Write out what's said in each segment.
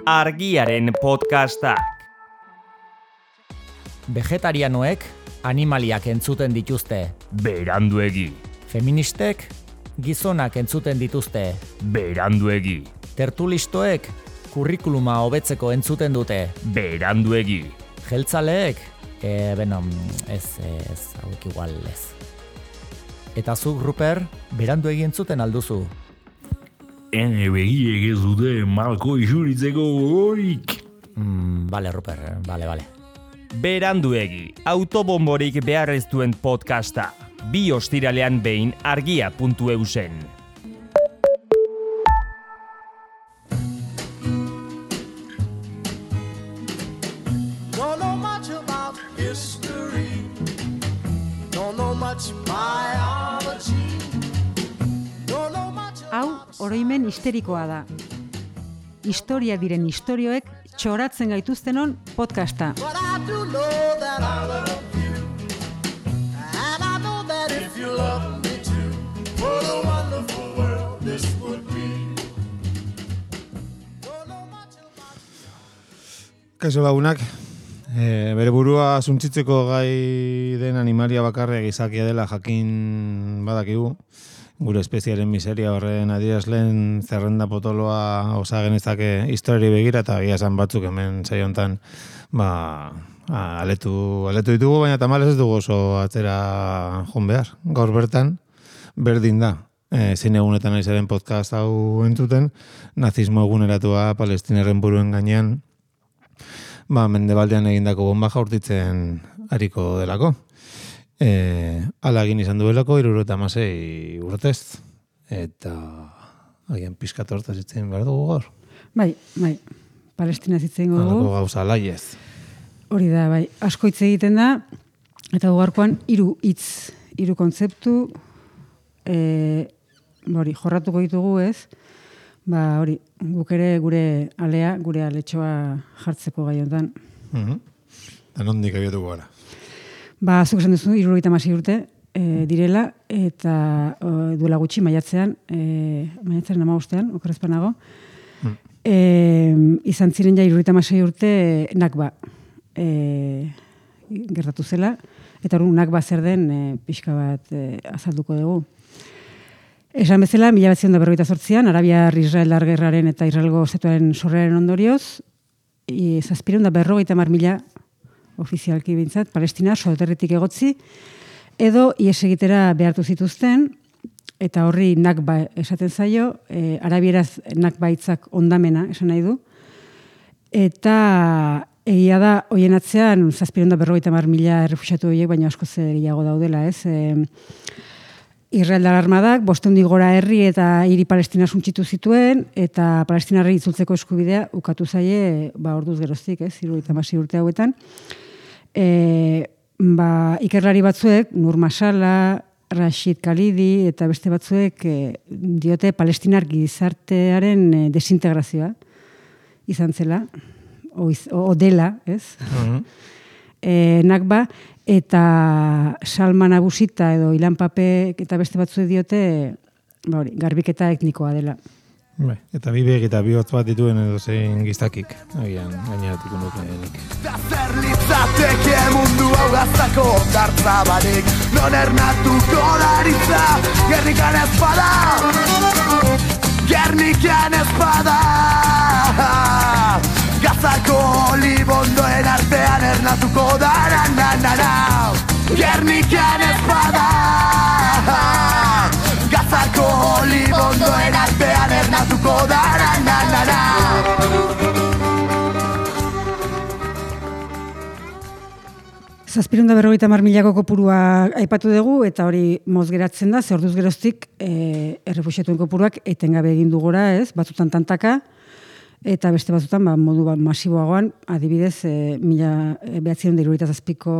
Argiaren podcastak. Vegetarianoek animaliak entzuten dituzte. Beranduegi. Feministek gizonak entzuten dituzte. Beranduegi. Tertulistoek kurrikuluma hobetzeko entzuten dute. Beranduegi. Jeltzaleek, ez, hauek igual ez. Eta zuk, Ruper, beranduegi entzuten alduzu. Ene begiek ez dute malko isuritzeko gogorik. Bale, Ruper, bale. Beranduegi, autobomborik behar ez duen podcasta. 2 ostiralean behin argia.eusen. Don't know much about history. Don't know much biology. Don't know much Hau, oroimen histerikoa da. Historia diren istorioek txoratzen gaituztenon podcasta. But I do know that I love you. And I know that if you love me too, what a wonderful world this would be. Don't know much about Kaixo lagunak, bere burua suntzitzeko gai den animalia bakarria gizakia dela jakin badakigu. Gure espeziaren miseria horren adierazleen zerrenda potoloa osa genezake historiari begira eta egia esan batzuk hemen saio hontan aletu ditugu, baina tamalez ez dugu oso atzera joan behar. Gaur bertan berdin da. Zein egunetan aizaren podcast hau entzuten, nazismo eguneratua Palestinarren buruen gainean mendebaldean egindako bomba jaurtitzen ariko delako. Ala egin izan duelako 76 urtez. Eta agian pizkat hortaz hitzen behar dugu gaur. Bai, Palestina zitzen dugu. Halako gauza laiez. Hori da, bai, asko hitz egiten da, eta gaurkoan 3 hitz, 3 kontzeptu, jorratuko ditugu ez, hori, guk ere gure alea, gure aletxoa jartzeko gai honetan. Eta nondik abiatuko gara. Zuk esan duzu, 76 urte direla, eta duela gutxi maiatzean 15ean, okerrezpanago, izan ziren ja 76 urte Nakba gertatu zela, eta hori Nakba zer den pixka bat azalduko dugu. Esan bezala, 1948an, Arabiar-Israeldar gerraren eta Israelgo estatuaren sorreraren ondorioz, 750.000 ofizialki bintzat, Palestina soterritik egotzi, edo ies egitera behartu zituzten, eta horri Nakba esaten zaio, arabieraz Nakba hitzak ondamena esan nahi du, eta egia da, hoien atzean, 750.000 errefuxiatu horiek, baina asko gehiago daudela, ez? Israeldar armadak, 500 gora herri eta hiri Palestina suntxitu zituen, eta Palestinarrei itzultzeko eskubidea ukatu zaie, orduz geroztik, 76 urte hauetan. Ikerlari batzuek, Nur Masala, Rashid Khalidi eta beste batzuek diote Palestinar gizartearen desintegrazioa izan zela, o dela, ez? Nakba, eta Salman Abusita edo Ilan Papek eta beste batzuek diote garbiketa etnikoa dela. Eta bi begi eta bi hotz bat dituen edo zein giztakik, agian gaineratiko nukenik. Da zer litzateke mundu hau gaztako dartza barik, non ernatuko daritza, Gernikan ez bada, Gernikan ez bada. Gazako libondoen artean ernatuko da, Gernikan ez bada. Gazako libondoen artean ernatuko da, Zazpirunda 50.000 kopurua aipatu dugu, eta hori moz geratzen da, ze orduz geroztik errefuxiatuen kopuruak etengabe egin du gora, ez, batzutan tantaka, eta beste batzutan modu masiboagoan, adibidez, 1977ko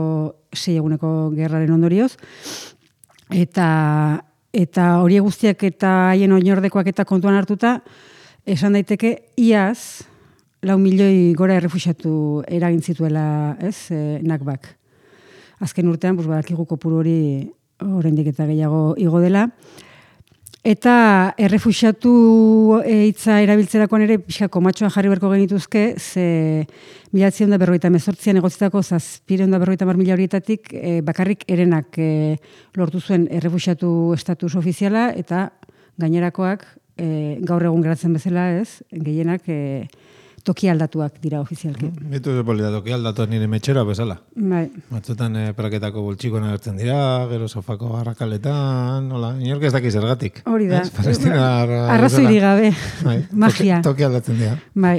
6 eguneko gerraren ondorioz, eta hori guztiak eta haien oinordekoak eta kontuan hartuta, esan daiteke iaz 4 milioi gora errefuxiatu eragin zituela, ez, Nakbak. Azken urtean, badakigu kopuru hori oraindik eta gehiago igo dela. Eta errefuxiatu hitza erabiltzerakoan ere pixka komatxoa jarri beharko genituzke, ze 1958an egotzitako 750.000 horietatik bakarrik herenak lortu zuen errefuxiatu estatus ofiziala, eta gainerakoak gaur egun geratzen bezala, ez, gehienak toki aldatuak dira ofizialki. Bitu zepolita toki aldatuak nire metxera bezala. Bai. Batzutan praketako boltxikoan agertzen dira, gero sofako garrakaletan, nola, inork ez daki zergatik. Hori da. Palestinar Arrazoirik gabe. Bai, Magia. Toki aldatzen dira. Bai.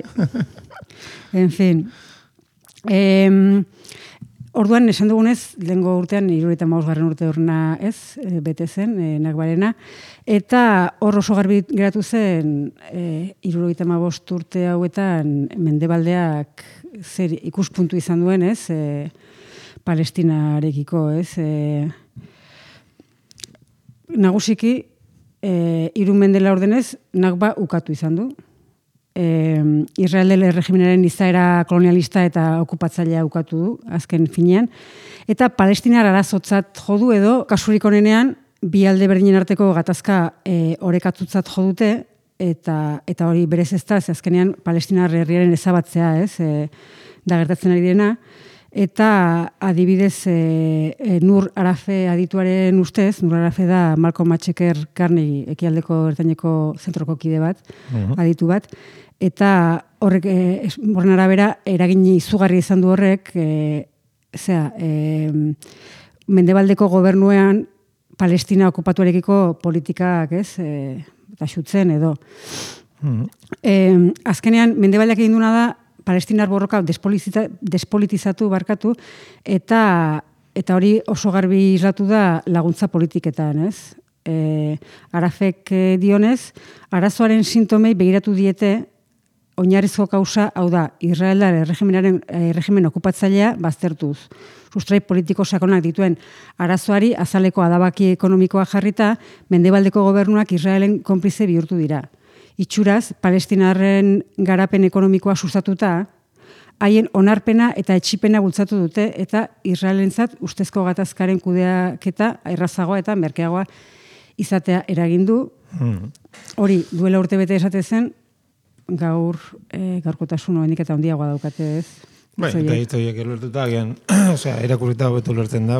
En fin. Orduan, esan dugunez, lehengo urtean, 75. urte horrena ez, bete zen, Nakbarena, eta hor oso garbi geratu zen 75 urte hauetan mendebaldeak zer ikuspuntu izan duen, ez, Palestinarekiko, ez, nagusiki, 3 mende laurdenez, Nakba ukatu izan du. Israel erregimenaren izaera kolonialista eta okupatzailea ukatu du, azken finean. Eta Palestinar arazotzat jodu edo, kasurik onenean, bi alde berdinen arteko gatazka orekatutzat jodute, eta hori berez ez da, azkenean Palestinar herriaren ezabatzea, ez, da gertatzen ari direna. Eta adibidez Nur Arafe adituaren ustez, Nur Arafe da Malcolm X Carney ekialdeko ertaineko zentroko kide bat, aditu bat, eta horrek horren arabera eragin izugarri izan du horrek, mendebaldeko gobernuean Palestina okupatuarekiko politikak, ez, eta xutzen edo. Azkenean, mendebaldeak egin duna da, Palestinar borroka despolitizatu barkatu, eta hori oso garbi islatu da laguntza politiketan, ez? Arafek dionez, arazoaren sintomei begiratu diete oinarrizko kausa, hau da, Israeldar erregimen okupatzailea baztertuz. Sustrai politiko sakonak dituen arazoari azaleko adabaki ekonomikoa jarrita, mendebaldeko gobernuak Israelen konplize bihurtu dira. Itxuraz, Palestinarren garapen ekonomikoa sustatuta, haien onarpena eta etxipena bultzatu dute, eta Israelentzat ustezko gatazkaren kudeaketa errazagoa eta merkeagoa izatea eragindu. Hori, duela urtebete esate zen, gaur gaurkotasun hoenik eta handiagoa daukate, ez? Bai, eta hitz horiek ulertuta, irakurrita hobetu ulertzen da,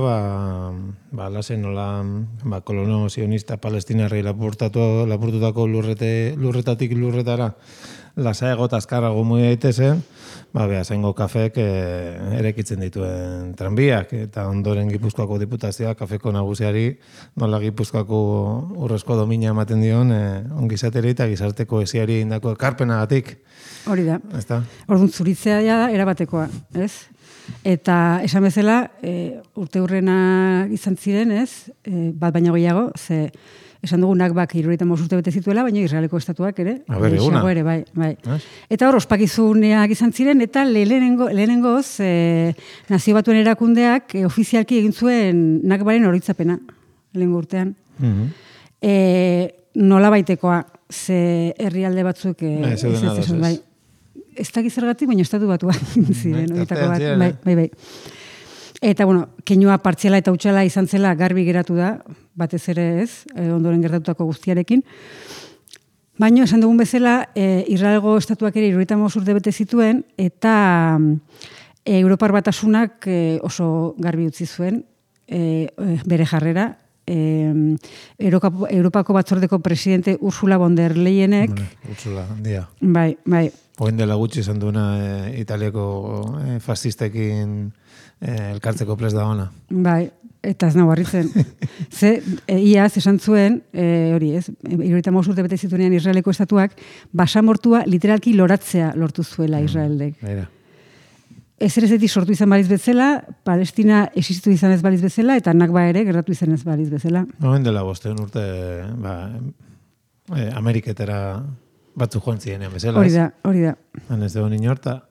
lasen nola, kolono sionista palestinarrei lapurtutako lurretatik lurretara, lasaiago eta azkarrago muy daitezen, behazengo kafek erekitzen dituen tranbiak, eta ondoren Gipuzkoako diputazioa kafeko nagusiari nola Gipuzkoako urrezko domina ematen dion ongizateri eta gizarte kohesioari indako ekarpenagatik. Hori da. Ezta? Orduan zuritzea da erabatekoa, ez? Eta esan bezala, urte hurrena izan ziren, ez? Bat baino gehiago, ze esan dugu Nakbak 75 urte bete zituela, baina Israeleko estatuak ere. Eguna. Ere, bai. Eta hor, ospakizuneak izan ziren, eta lehenengoz, Nazio Batuen erakundeak ofizialki egin zuen Nakbaren oroitzapena, lehengo urtean. Nola baitekoa, ze herrialde batzuk bai. Ez dakit zergatik, baina estatu batuak ziren, horietako bat. Bai. Eta, keinua partziala eta utxala izan zela garbi geratu da, batez ere ez, ondoren gertatutako guztiarekin. Baina, esan dugun bezala, Israelgo estatuak ere 75 urte bete zituen, eta Europar Batasunak oso garbi utzi zuen bere jarrera. Europako batzordeko presidente Ursula von der Leyenek. Ursula, handia. Bai. Oen dela gutxi izan duena Italiako fascistekin elkartzeko prest da ona. Bai, eta ez nago harritzen. Iaz esan zuen, hori ez, 75 urte bete zituenean Israeleko estatuak, basamortua literalki loratzea lortu zuela Israeldek. Ezerezetik sortu izan baliz bezala, Palestina existitu izan ez baliz bezala, eta Nakba ere gertatu izan ez baliz bezala. Oen dela 5 urte, Ameriketara batzuk joan zirenean bezala. Hori da. Han ez dugu inorta,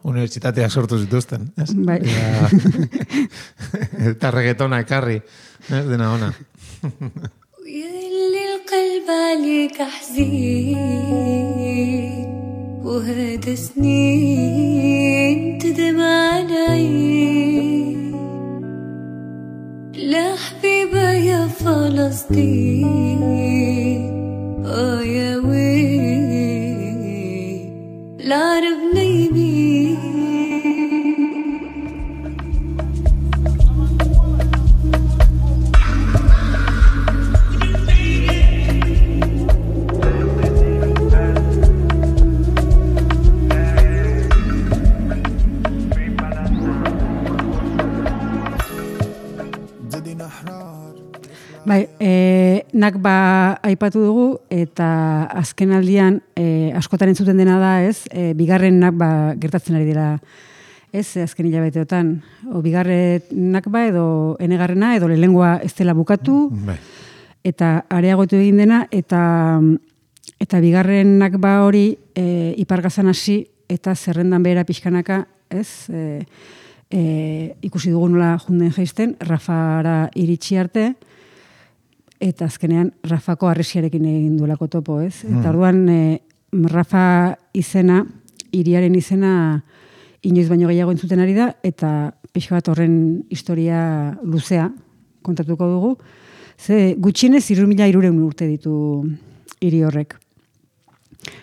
unibertsitateak sortu zituzten. Bai. Eta reggaetona ekarri, dena ona. ويلي القلب عليك حزين وهذا سنين تدمع العين لا حبيبة يا فلسطين العرب نايمين Bai, nakba aipatu dugu eta azken aldian askotan entzuten dena da, ez? Bigarren nakba gertatzen ari dira, ez? Azken hilabeteotan, o bigarren nakba edo enegarrena edo lehengoa ez dela bukatu eta areagotu egin dena eta bigarren nakba hori ipargazan hasi eta zerrendan behera pixkanaka, ez? Ikusi dugu nola junden jaisten, Rafara iritsi arte, eta azkenean Rafako harresiarekin egin duelako topo, ez? Eta orduan Rafa izena, hiriaren izena inoiz baino gehiago entzuten ari da, eta pixka bat horren historia luzea kontatuko dugu. Ze gutxienez 3.300 urte ditu hiri horrek.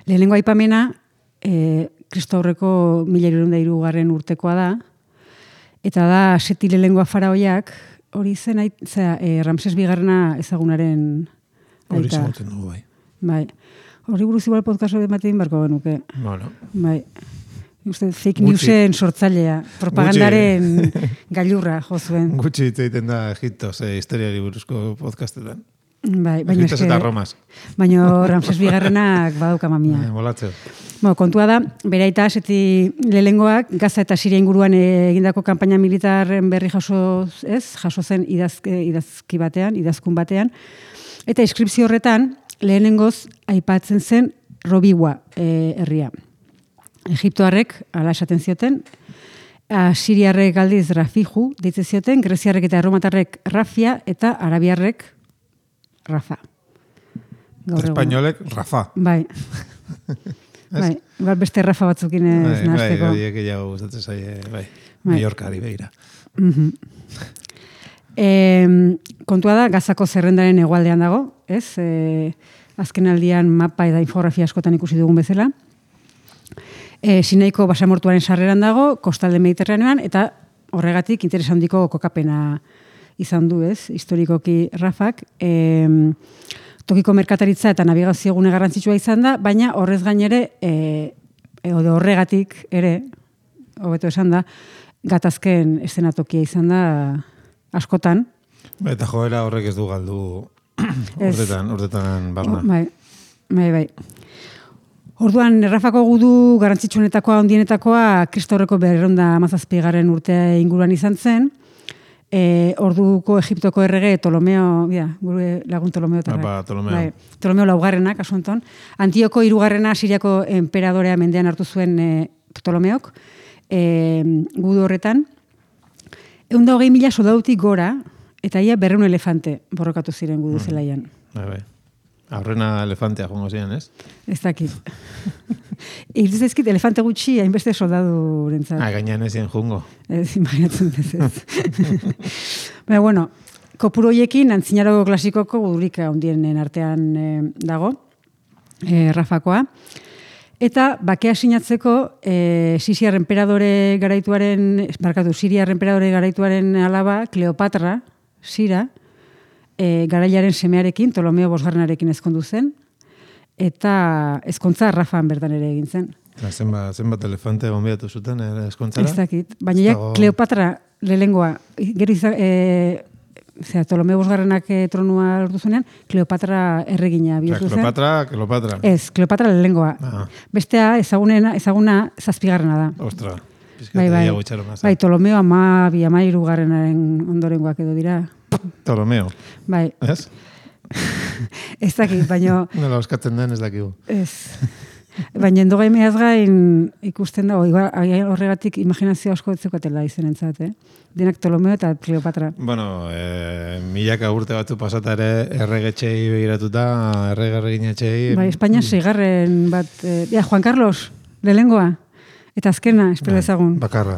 Lehenengo aipamena Kristo aurreko 1303 urtekoa da, eta da Seti lehenengoa faraoiak, hori zen, Ramses bigarrena ezagunaren aita. Hori zagoten dugu, bai. Bai. Hori buruz igual podcast hori ematen barko genuke. Bueno. Bai. Uste, fake newsen sortzailea, propagandaren gailurra jo zuen. Gutxi hitz egiten da Egipto, historiari buruzko podcastetan. Bai, baina Egiptos eta Romas. Baina Ramses bigarrenak badauka mamia. Molatzeo. Kontua da, bere aita Seti lehengoak Gaza eta Siria inguruan egindako kanpaina militarren berri jaso zen idazkun batean, eta inskripzio horretan lehenengoz aipatzen zen Robiwa herria. Egiptoarrek ala esaten zioten, Siriarrek aldiz Rafiju deitzen zioten, Greziarrek eta Erromatarrek Rafia eta Arabiarrek Rafa. Espainolek Rafa. Bai. Bai, beste Rafa batzukin ez nahazteko. Bai, horiek gehiago gustatzen zaie, bai. Mallorcari begira. Kontua da, Gazako zerrendaren hegoaldean dago, ez? Azken aldian mapa eta infografia askotan ikusi dugun bezala. Sinaiko basamortuaren sarreran dago, kostalde Mediterranean, eta horregatik interes handiko kokapena izan du, ez? Historikoki Rafak. Tokiko merkataritza eta navigazio gune garrantzitsua izan da, baina horrez gainere, horregatik ere, hobeto esan da, gatazken eszenatokia izan da askotan. Eta joera horrek ez du galdu horretan barna. Bai. Orduan, Rafako gudu garrantzitsuenetakoa, ondienetakoa, Kristo aurreko 217 urtea inguruan izan zen. Orduko Egiptoko errege Ptolomeo, gure lagun Ptolomeo tarra. Ptolomeo laugarrena, kasu honetan. Antioko 3. Siriako enperadorea mendean hartu zuen Ptolomeok, gudu horretan. 120.000 soldadutik gora, eta ia 200 elefante borrokatu ziren gudu zelaian. Bai. Aurrena elefantea jongo ziren, ez? Ez dakit. Iriz ezkit elefante gutxi hainbeste soldadu rentzat. Gainean ezien jungo. Ez, imaginatzen ez. Baina, bueno, kopuru hoiekin antzinaro klasikoko gudurik handienen artean dago, Rafakoa. Eta bakea sinatzeko Siriar enperadore garaituaren alaba, Kleopatra, Sira, garailaren semearekin, Ptolomeo bosgarrenarekin ezkondu zen, eta ezkontza Rafan bertan ere egin zen. Zenbat elefante gonbidatu zuten ezkontzara? Ez dakit, baina ja Kleopatra lehengoa, gero Ptolomeo bosgarrenak tronua lortu zuenean, Kleopatra erregina bihurtu zen. Kleopatra. Ez, Kleopatra lehengoa. Bestea ezaguna 7. da. Ostra, bai, Ptolomeo 12 garrenaren ondorengoak edo dira. Ptolomeo. Bai. Ez? Ez dakit, baina... Nola oskatzen den ez dakigu. Ez. Baina endogaimeaz gain ikusten da, horregatik imaginazio asko etzekotela izenentzat, Denak Ptolomeo eta Kleopatra. Bueno, milaka urte batzu pasata ere erregetxei begiratuta, erreginetxei... Bai, Espainia 6. bat... Juan Carlos, lehengoa. Eta azkena, espero ezagun. Bakarra.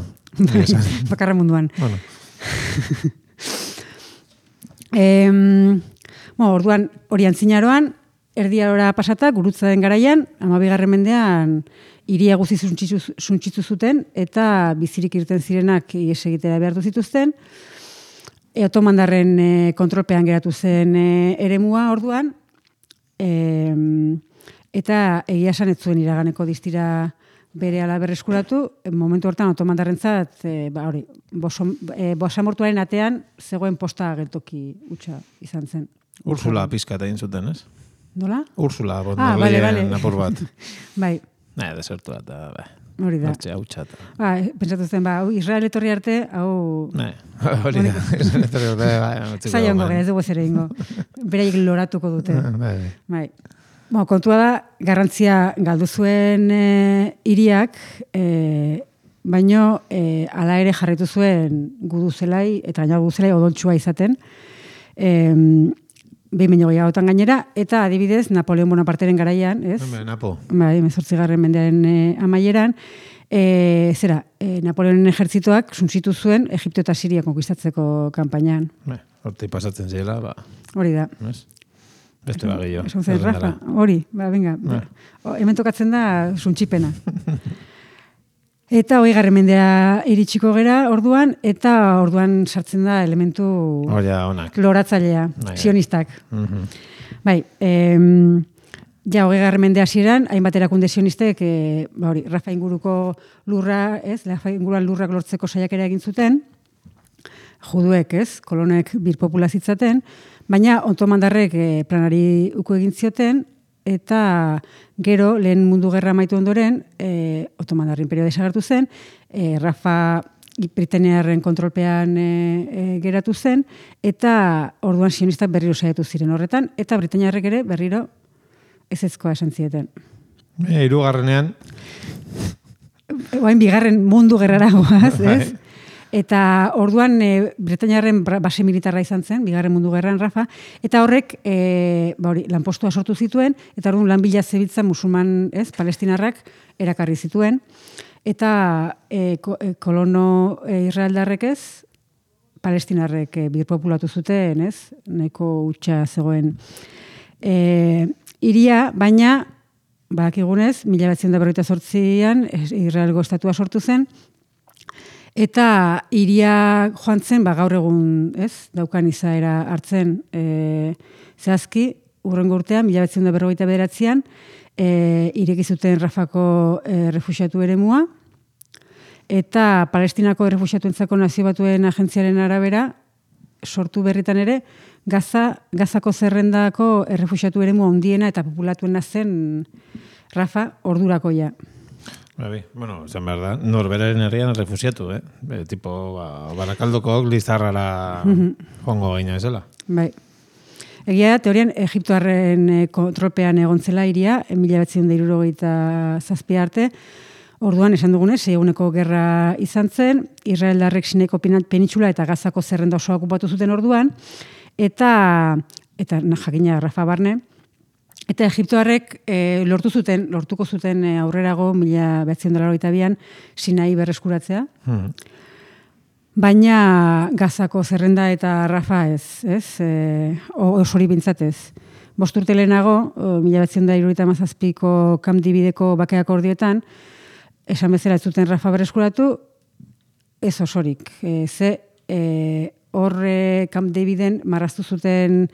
Bakarra munduan. Bueno. Orduan, hori antzinaroan, erdiarora pasata, gurutza den garaian, 12. mendean, hiria guzti suntsitu zuten, eta bizirik irten zirenak ihes egitera behartu zituzten. Otomandarren kontrolpean geratu zen eremua orduan, eta egia esan ez zuen iraganeko distira berehala berreskuratu, momentu hortan otomandarrentzat basamortuaren atean zegoen posta geltoki hutsa izan zen. Ursula pizkat egin zuten, ez? Nola? Ursula, bale. apur bat. Bai, Desertu bat, hori da. Hortxe hautsa. Pentsatu zen, Israel etorri arte, hau... Hori da. Zaila ongo, ez dugu zere ingo. Beraiek loratuko dute. Bai. Kontua da, garrantzia galdu zuen hiriak, baino hala ere jarritu zuen guduzelai, eta gaina guduzelai odontxua izaten, 2008an gainera, eta adibidez, Napoleon Bonaparteren garaian, ez? Napo. Bai, 18. mendearen amaieran, Napoleonen ejertzitoak suntsitu zuen Egipto eta Siria konkistatzeko kanpainan. Horti pasatzen zela, Hori da. Beste bagillo. Rafa, hori, venga. Hemen tokatzen da suntsipena. Eta 20. mendea iritsiko gera orduan, eta orduan sartzen da elementu loratzailea, sionistak. Bai, ja 20. mende hasieran, hainbat erakunde sionistek, Rafa inguruko lurra, Rafa inguruan lurrak lortzeko saiakera egin zuten, juduek, kolonek birpopulazitzaten, baina otomandarrek planari uko egin zioten, eta gero, lehen mundu gerra amaitu ondoren, otomandarren perioda desagertu zen, Rafa britainiarren kontrolpean geratu zen, eta orduan sionistak berriro saiatu ziren horretan, eta britainiarrek ere berriro ezezkoa esan zieten. Hirugarrenean? Oain bigarren mundu gerrara goaz, ez? Eta orduan britainiarren base militarra izan zen, bigarren mundu gerran Rafa, eta horrek lanpostua sortu zituen, eta orduan lan bila zebiltzan musulman, palestinarrak erakarri zituen, eta kolono israeldarrek palestinarrek birpopulatu zuten, nahiko hutsa zegoen hiria, baina badakigunez, 1948an Israelgo estatua sortu zen, eta hiria joan zen, gaur egun, daukan izaera hartzen zehazki, urrengo urtean, 1949an, ireki zuten Rafako refuxiatu eremua, eta Palestinako refuxiatuentzako Nazio Batuen agentziaren arabera, sortu berritan ere, Gazako zerrendako errefuxiatu eremu handiena eta populatuena zen Rafa ordurakoia. Zan behar da, norberaren herrian refusiatu, tipo, Barakaldoko Lizarrara joango gaina ezela. Bai. Egia, teorian, Egiptoarren kontrolpean egon zela hiria, 1967 arte, orduan, esan dugunez, 6 eguneko gerra izan zen, Israeldarrek Sinaiko penitsula eta Gazako zerrenda osoa okupatu zuten orduan, eta jakina Rafa barne, eta Egiptoarrek lortuko zuten aurrerago 1982an Sinai berreskuratzea. Baina Gazako zerrenda eta Rafa osori bintzat ez. 5 urte lehenago, 1977ko Camp Davideko bake akordioetan, esan bezala ez zuten Rafa berreskuratu, ez osorik. Horre Camp Daviden marraztu zuten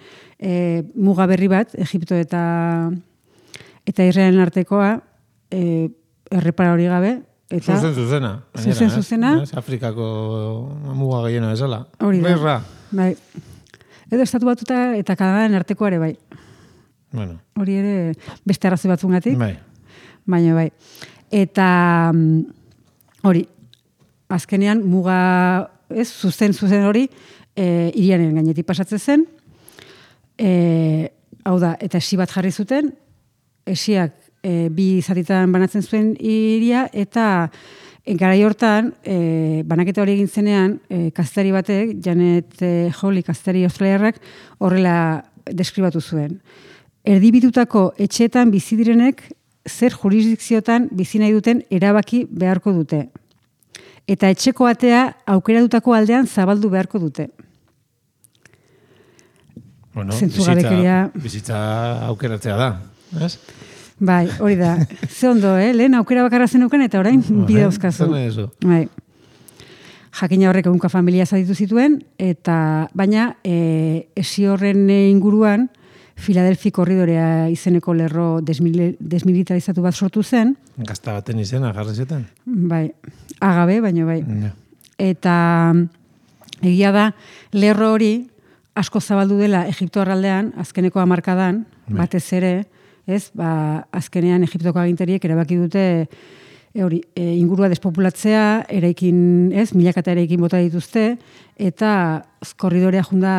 muga berri bat, Egipto eta Israelen artekoa, errepara hori gabe. Zuzena. Afrikako muga gehiena bezala. Hori da. Bai. Edo estatu batuta eta Kanadaren artekoa ere bai. Hori ere beste arrazoi batzungatik. Baina bai. Eta hori, azkenean muga zuzen hori hiriaren gainetik pasatzen zen. Hau da, eta esi bat jarri zuten, esiak bi zatitan banatzen zuen hiria, eta garai hortan, banaketa hori egin zenean, kazetari batek, Janet Hawley kazetari australiarrak, horrela deskribatu zuen. Erdibitutako etxeetan bizi direnek zer jurisdikziotan bizi nahi duten erabaki beharko dute. Eta etxeko atea aukeratutako aldean zabaldu beharko dute. Bueno, zentzugabekeria. bizitza aukeratzea da, ez? Bai, hori da. Ze ondo, lehen aukera bakarra zenuken eta orain bide dauzkazu. Zer nahi duzu? Bai. Jakina horrek ehunka familia zaditu zituen, eta baina esi horren inguruan Filadelfi korridorea izeneko lerro desmilitarizatu bat sortu zen. Gazta baten izena jarri zuten? Bai, agabe, baino bai. Ja. Eta egia da, lerro hori asko zabaldu dela Egipto arraldean, azkeneko hamarkadan, batez ere, ez, azkenean Egiptoko aginteriek erabaki dute ingurua despopulatzea, eraikin, ez, milakata eraikin bota dituzte, eta korridorea junda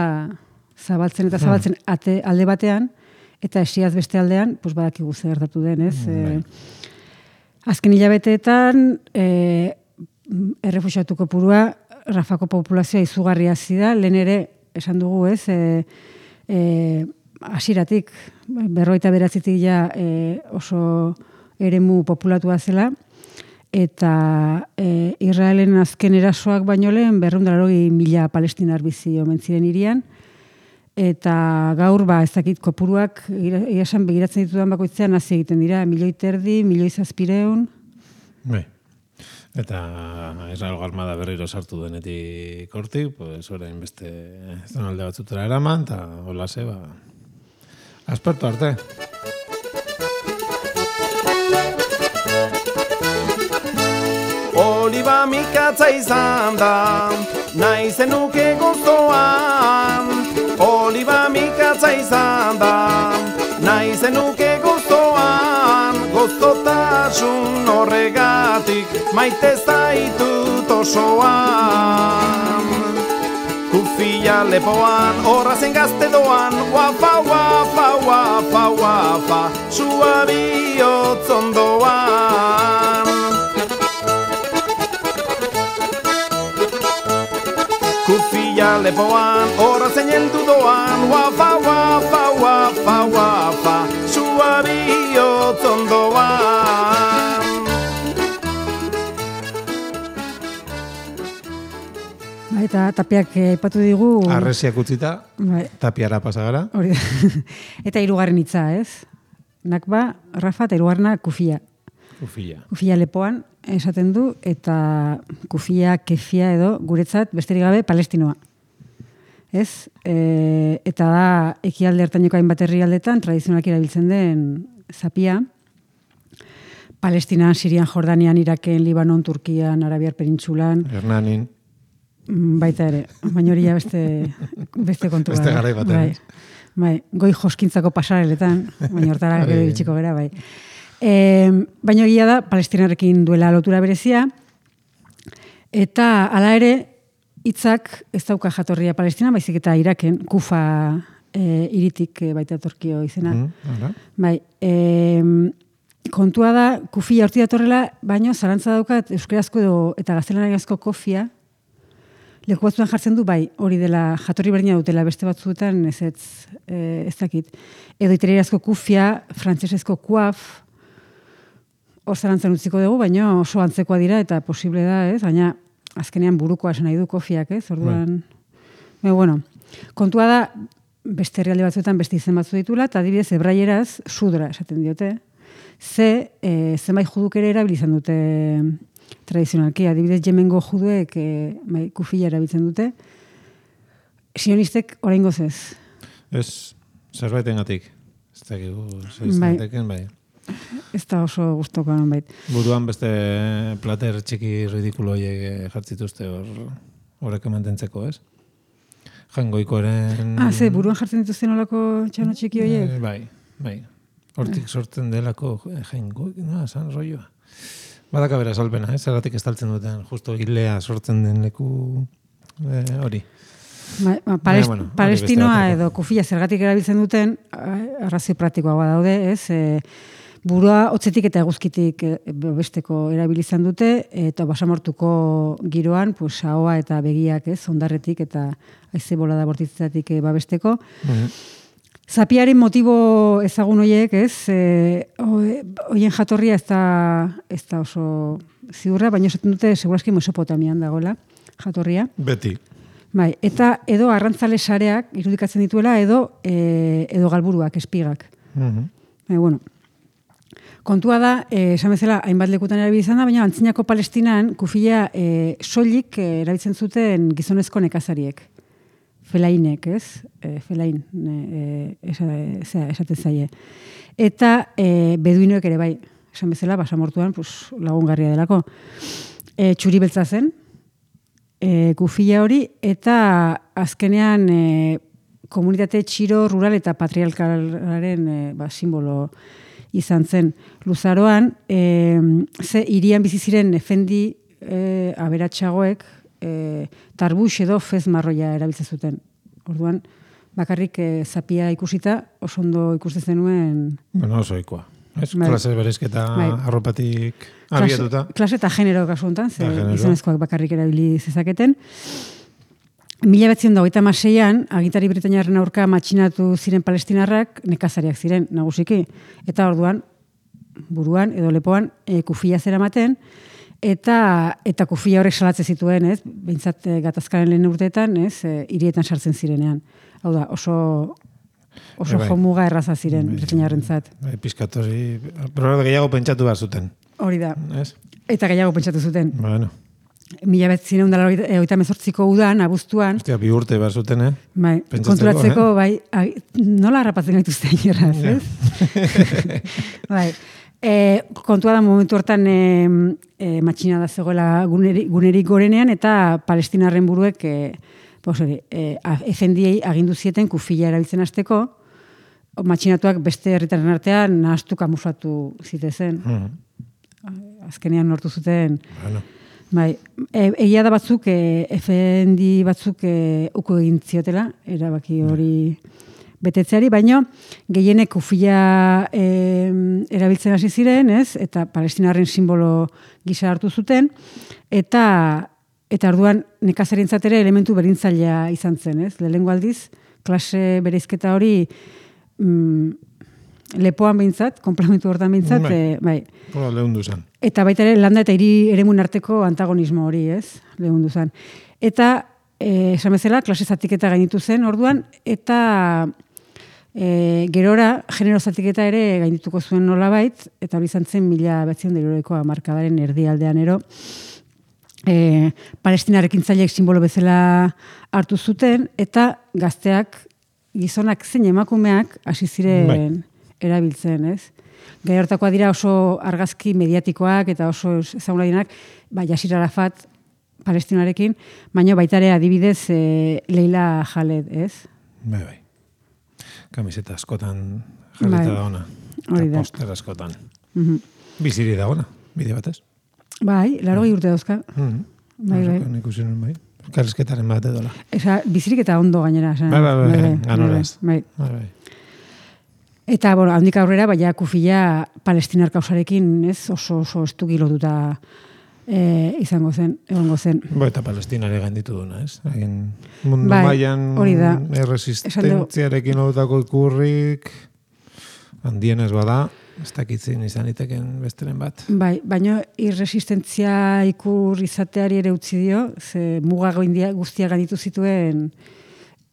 zabaltzen eta zabaltzen alde batean, eta esiaz beste aldean, pues badakigu zer gertatu den, ez? Azken hilabeteetan, errefuxiatu kopurua, Rafako populazioa izugarria hasi da, lehen ere, esan dugu, ez, hasieratik 59 ja oso eremu populatua zela, eta Israelen azken erasoak baino lehen 280.000 palestinar bizi omen ziren hirian, eta gaur ez dakit kopuruak esan begiratzen ditudan bakoitzean hasi egiten dira, 1,5 milioi, 1,700.000. Bai. Eta Israelgo armada berriro sartu denetik hortik, pues orain beste zonalde batzutera eraman, eta holase, aspertu arte. Oliba mikatza izan da, nahi zenuke gozoan. Oliba mikatza izan da, nahi zenuke gozoan. Gozotasun horregatik, maite zaitut osoan. Kufia lepoan, horrazen gazte doan, guapa, guapa, guapa, guapa, sua bihotz ondoan. Kufia lepoan, horrazen heldu doan, guapa, guapa, guapa, guapa, sua bihotz ondoan. Eta Tapiak aipatu digu... Arresiak utzita, Tapiara pasagara. Hori da. Eta hirugarren hitza, ez? Nakba, Rafa, eta hirugarrena Kufia. Kufia lepoan esaten du, eta Kufia, Kefia edo guretzat besterik gabe Palestinoa. Ez? Eta da ekialde hartaineko hainbat herrialdetan tradizionalki erabiltzen den zapia. Palestinan, Sirian, Jordanian, Iraken, Libanon, Turkian, Arabiar Penintsulan. Hernanin. Baita ere, baina hori beste kontua. Beste garai batean. Bai, goi joskintzako pasareletan, baina hortara gero iritsiko gara, bai. Baina egia da, Palestinarekin duela lotura berezia, eta hala ere, hitzak ez dauka jatorria Palestina, baizik eta Iraken, Kufa hiritik baita torkio izena. Bai, kontua da, Kufia horti datorrela, baina zarantza daukat euskerazko eta gaztelaniazko kofia, leku batzuetan jartzen du, bai, hori dela jatorri berdina dutela, beste batzuetan ez dakit. Edo italierazko kufia, frantsesezko kuaf, hor zarantzan utziko dugu, baina oso antzekoa dira, eta posible da, ez? Baina azkenean burukoa esan nahi du kofiak, ez? Orduan, bueno, kontua da, beste herrialde batzuetan beste izen batzu ditula, eta adibidez, hebraieraz, sudra esaten diote. Zenbait juduk ere erabilizan dute tradizionalki, adibidez Yemengo juduek kufia erabiltzen dute. Sionistek oraingoz ez. Ez, zerbaitengatik. Ez dakigu, zeiztenteken, bai. Ez da oso gustoko nonbait. Buruan beste plater txiki ridikulo horiek jartzituzte horrek mantentzeko, ez? Jangoikoren... Ze, buruan jartzen dituzten olako txano txiki horiek? Bai. Hortik sortzen delako jangoik, esan roioa. Badaka bera salpena, zergatik estaltzen duten, justo hilea sortzen den leku hori. Palestinoa edo kufia zergatik erabiltzen duten, arrazio praktikoa daude, ez? Burua hotzetik eta eguzkitik besteko erabilizan dute, eta basamortuko giroan, ahoa eta begiak, ez? Ondarretik eta haize bolada bortitzatik babesteko. Zapiaren motibo ezagun horiek, ez? Hoien jatorria ez da oso ziurra, baina esaten dute seguraski Mesopotamian dagoela jatorria. Beti. Bai, eta edo arrantzale sareak irudikatzen dituela edo galburuak, espigak. Bueno, kontua da, esan bezala, hainbat lekutan erabili izan da, baina antzinako Palestinan kufila soilik erabiltzen zuten gizonezko nekazariek. Felainek, ez? Felain, esaten zaie. Eta beduinoek ere bai, esan bezala, basamortuan lagungarria delako. Txuri beltza zen, kufila hori, eta azkenean komunitate txiro, rural eta patriarkalaren simbolo izan zen. Luzaroan, ze hirian bizi ziren efendi aberatsagoek tarbux edo fez marroia erabiltzen zuten. Orduan, bakarrik zapia ikusita, oso ondo ikusten zenuen... Bueno, oso ikua. Klase berezketa arropatik abiatuta. Klase eta genero kasu honetan, ze gizonezkoak bakarrik erabili zezaketen. 1926an, agintari britainiarren aurka matxinatu ziren palestinarrak nekazariak ziren nagusiki. Eta orduan, buruan edo lepoan kufila zeramaten, eta kufila horrek salatzen zituen, ez? Behintzat gatazkaren lehen urteetan, ez? Hirietan sartzen zirenean. Hau da, oso jomuga erraza ziren britainiarrentzat. Piskatori, pero gehiago pentsatu behar zuten. Hori da. Ez? Eta gehiago pentsatu zuten. Bueno. 1938ko udan, abuztuan. Ostia, 2 urte behar zuten, Bai, konturatzeko, bai, nola harrapatzen gaituzte inerraz, ez? Bai, kontua da momentu hortan matxina da zegoela gunerik gorenean, eta palestinarren buruek efendiei agindu zieten kufila erabiltzen hasteko, matxinatuak beste herritarren artean nahastu kamuflatu zitezen. Azkenean lortu zuten... Bueno. Bai, egia da batzuk, efendi batzuk uko egin ziotela, erabaki hori betetzeari, baino gehienek kufila erabiltzen hasi ziren, ez? Eta palestinarren simbolo gisa hartu zuten, eta orduan nekazarientzat ere elementu berintzailea izan zen, ez? Lehenengo aldiz, klase bereizketa hori lepoan behintzat, komplementu hortan behintzat, bai. Lehundu zen. Eta baita ere, landa eta hiri eremun arteko antagonismo hori, ez? Lehundu zen. Eta, esan bezala, klase zatiketa gainitu zen orduan, eta gerora, genero zatiketa ere gainituko zuen nolabait, eta hori izan zen 1900ko hamarkadaren erdialdean ero, palestinarekin zailek simbolo bezala hartu zuten, eta gazteak, gizonak zein emakumeak hasi ziren erabiltzen, ez? Gai hortakoa dira oso argazki mediatikoak eta oso ezagunarenak, Yasir Arafat palestinarekin, baina baita ere adibidez Leila Khaled, ez? Bai. Kamiseta askotan jarrita da ona. Eta poster askotan. Biziri da ona, bide batez. Bai, 80 urte dauzka. Bai. Ikusi nuen bai. Karrizketaren bat edola. Bizirik eta ondo gainera. Bai. Ganoraz. Bai. Eta, handik aurrera, baina kufila palestinar kausarekin, ez, oso estuki lotuta egongo zen. Eta palestinare gainditu duna, ez? Mundu mailan erresistentziarekin lotutako ikurrik handienez bada, ez dakitzen izan iteken besteren bat. Bai, baina irresistentzia ikur izateari ere utzi dio, ze muga guztia gainditu zituen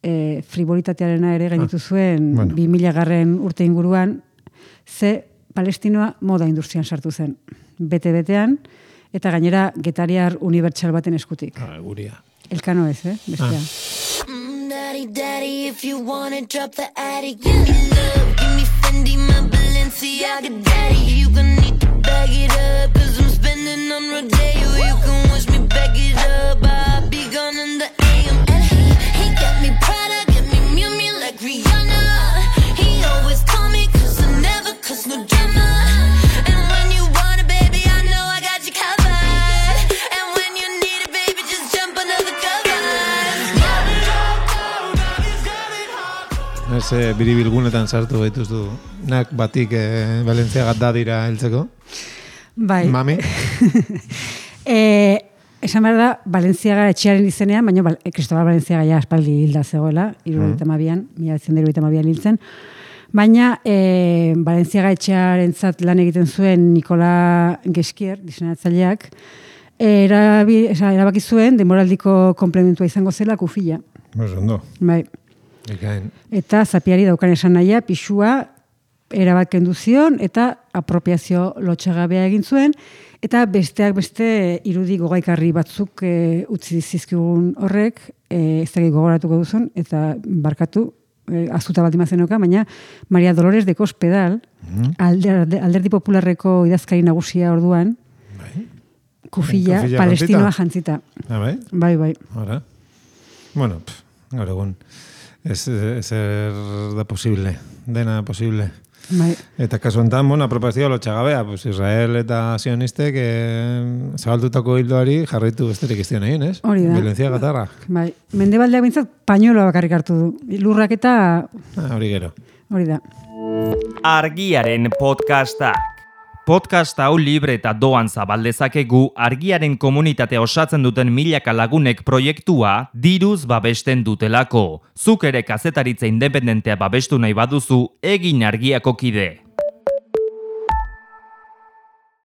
frivolitatearena ere gainitu zuen 2000 urte inguruan, ze palestinoa moda industrian sartu zen. Bete-betean, eta gainera getariar unibertsal baten eskutik. Guria. Elkano ez, bestea. Daddy, daddy, if you wanna drop the attic, give me love, give me Fendi, my Balenciaga daddy. You gonna need to bag it up, cause I'm spending on Rodeo. You can watch me back it up, I'll be gone in the AM. And he got me Prada, got me Miu Miu like Rihanna. He always call me cause I never cause no drama. And when you want it, baby, I know I got you covered. And when you need it, baby, just jump under the covers. Ez biribilgunetan sartu baituztu nak batik Balenciaga dadira heltzeko. Bai. Mami. Esan behar da, Balenciaga etxearen izenean, baina Cristobal Balenciaga ja aspaldi hilda zegoela, 1972an hiltzen. Baina Balenciaga etxearen lan egiten zuen Nikola Geskier, diseinatzaileak, erabaki zuen demoraldiko komplementua izango zela kufila. Ondo. Bai. Ikain. Eta zapiari daukan esan nahia, pixua erabat kendu zion eta apropiazio lotxagabea egin zuen, eta besteak beste irudi gogaikarri batzuk utzi zizkigun horrek, ez dakit gogoratuko duzun, eta barkatu, azuta baldin mazenoka, baina Maria Dolores de Cospedal, Alderdi Popularreko idazkari nagusia orduan, kufila palestinoa jantzita. Bai? Bai. Ahora. Bueno, gaur egun ez da posible, dena posible. Bai. Eta kasu enten, apropazioa lotxagabea, pues Israel eta sionistek zabaldutako hildoari jarraitu besterik iztion egin, ez? Hori da. Violentzia gatarra. Bai. Mendebaldeak bintzat pañueloa bakarrik hartu du. Lurrak eta... Hori gero. Hori da. Argiaren podcastak. Podcast hau libre eta doan zabaldezakegu Argiaren komunitatea osatzen duten milaka lagunek proiektua diruz babesten dutelako. Zuk ere kazetaritza independentea babestu nahi baduzu, egin Argiako kide.